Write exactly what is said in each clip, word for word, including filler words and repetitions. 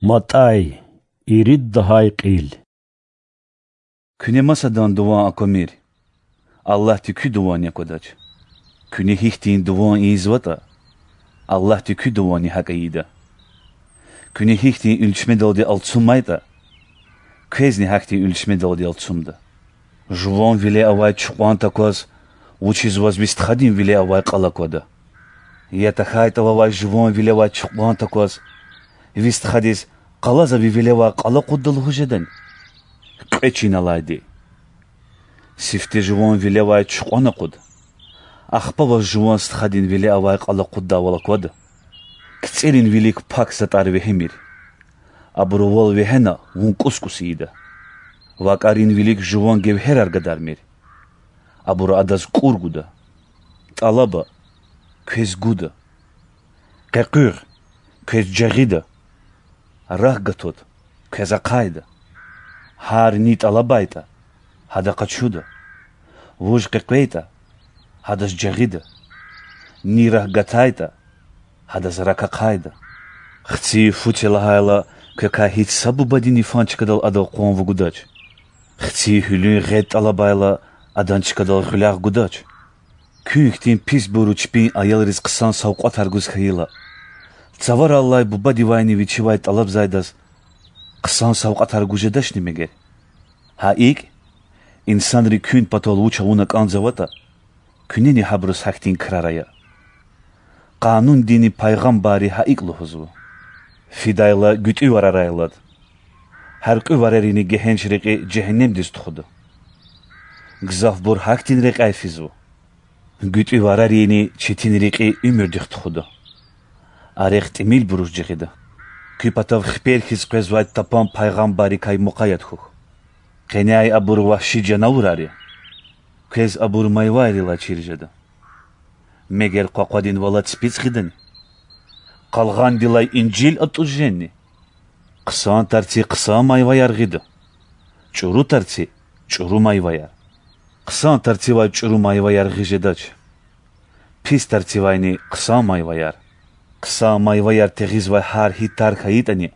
МатӀай, ирид лагьай кьил. Куьне масадан дуван аквамир, Аллагьди куь дуванни аквадач. Куьне гьихьтин дуван ийизватӀа, Аллагьди куь дуванни гьакӀ ийида. Куьне гьихьтин уьлчмедалди алцумайтӀа, квезни гьахьтин уьлчмедалди алцумда. Жуван виле авай чукьван такваз, вучиз ваз ви стхадин виле авай кьал аквада? Я тахьайтӀа вавай жуван виле авай чукьван такваз, ви стхадиз: къалаза ви виле авай кьал акъудда лугьуз жедани? Кьве чин алайди. Сифте жуван виле авай чукьван акъуд, ахпа ваз жуван стхадин виле авай кьал акъуддайвал аквада. КцӀерин вилик пак затӀар вегьимир. Абурувал вегьена, вун кӀус-кӀус ийида. ВакӀарин вилик жуван гевгьерар гадармир. Абуру адаз кӀур гуда. ТӀалаба, квез гуда. Къекъуьгъ, квез жагъида. Рак гатут, квез ахъайда. Гьар ни тӀалабайтӀа, гьада къачуда. Вуж къекъвейтӀа, гьадаз жагъида. Ни рак гатайтӀа, гьадаз рак ахъайда. Хци фу це лагьайла, квекай гьич са бубадин йифан чкадал адав къван вугудач. Хци гьуьлуьн гъед тӀалабайла, адан чкадал гъуьлягъ гудач. Куьн хьтин писбуру чпин аялриз хъсан савкьватар гуз хьайила, цавараллай бубадивайни вичивай тӀалабзавайдаз хъсан савкьватар гуз жедачни мегер? Гьа икӀ, инсанри куьн патал вуч авуна кӀанзаватӀа, куьнени гьабуруз гьахьтин крар ая. Къанундини пайгъамбарри гьа икӀ лугьузва: фидайла гуьтӀуь варарай алад. Гьяркьуь варарини гегьенш рекьи жегьеннемдиз тухуда. Гзафбур гьахьтин рекьяй физва. ГуьтӀуь варарини четин рекьи уьмуьрдихъ тухуда. А рехъ тӀимилбуруз жагъида. Куь патав хипер хьиз къвезвай тапан пайгъамбаррикай мукъаят хьухь. Къеняй абур вагьши жанавурар я. Квез абур майвайрилай чир жеда. Мегер къвакъвадин валад ципицӀ гъидани? Къалгъандилай инжил атӀуз жени? Хъсан тарци хъсан майваяр гъида, чӀуру тарци чӀуру майваяр. Хъсан тарцивай чӀуру майваяр гъиз жедач, пис тарцивайни хъсан майваяр. Хъсан майваяр тегъизвай гьар гьи тар хьайитӀани,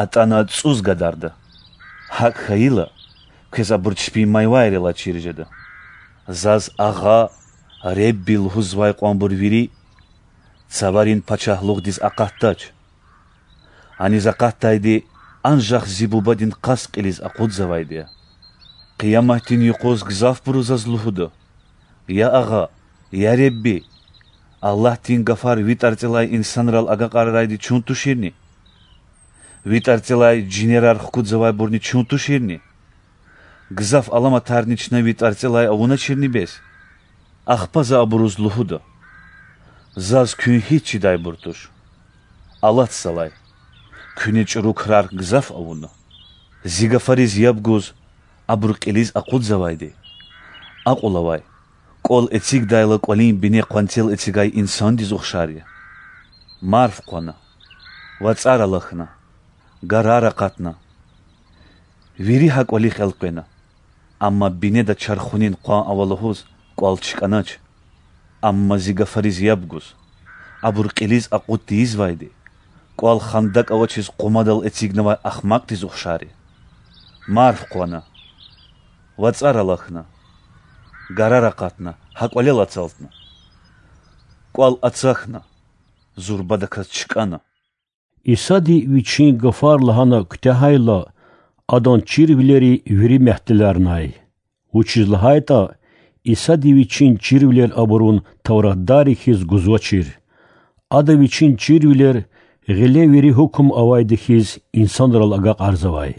атӀана цӀуз гадарда. ГьакӀ хьайила, квез абур чпин майвайрилай чир жеда. Заз Агъа, Ребби лугьузвай кьванбур вири цаварин пачагьлугъдиз акъатдач. Аниз акъатдайди анжах зи Бубадин къаст кьилиз акъудзавайди я. Къияматдин юкъуз гзафбуру заз лугьуда: Я Агъа, я Ребби! Аллагьдин гафар ви тӀварцӀелай инсанрал агакьарарайди чун туширни? Ви тӀварцӀелай жинерар хкудзавайбурни чун туширни? Гзаф аламатарни чна ви тӀварцӀелай авуначирни бес? Ахпа за абуруз лугьуда: Заз куьн гьич чидайбур туш. Алатзалай, куьне чӀуру крар гзаф авуна. Зи гафариз яб гуз, абур кьилиз акъудзавайди, акьул авай, кӀвал эцигдайла кӀвалин бине къванцел эцигай инсандиз ухшар я. Марф хъвана, вацӀар алахьна, гарар акъатна. Вири гьа кӀвалихъ элкъвена, амма бинеда чархунин къван ава лугьуз кӀвал чкӀанач. Амма зи гафариз яб гуз, абур кьилиз акъуд тийизвайди, кӀвал хандакӀ авачиз къумадал эцигнавай ахмакьдиз ухшар я. Марф хъвана, вацӀар алахьна, гарар акъатна, гьа кӀвалел ацалтна. КӀвал ацахьна, зурбадаказ чкӀана. Исади Вичин гафар лагьана куьтягьайла, Адан чирвилери вири мягьтеларнай. Вучиз лагьайтӀа Исади Вичин чирвилер абурун тавратдарри хьиз гузвачир. Ада Вичин чирвилер гъиле вири гьукум авайди хьиз инсанрал агакьарзавай.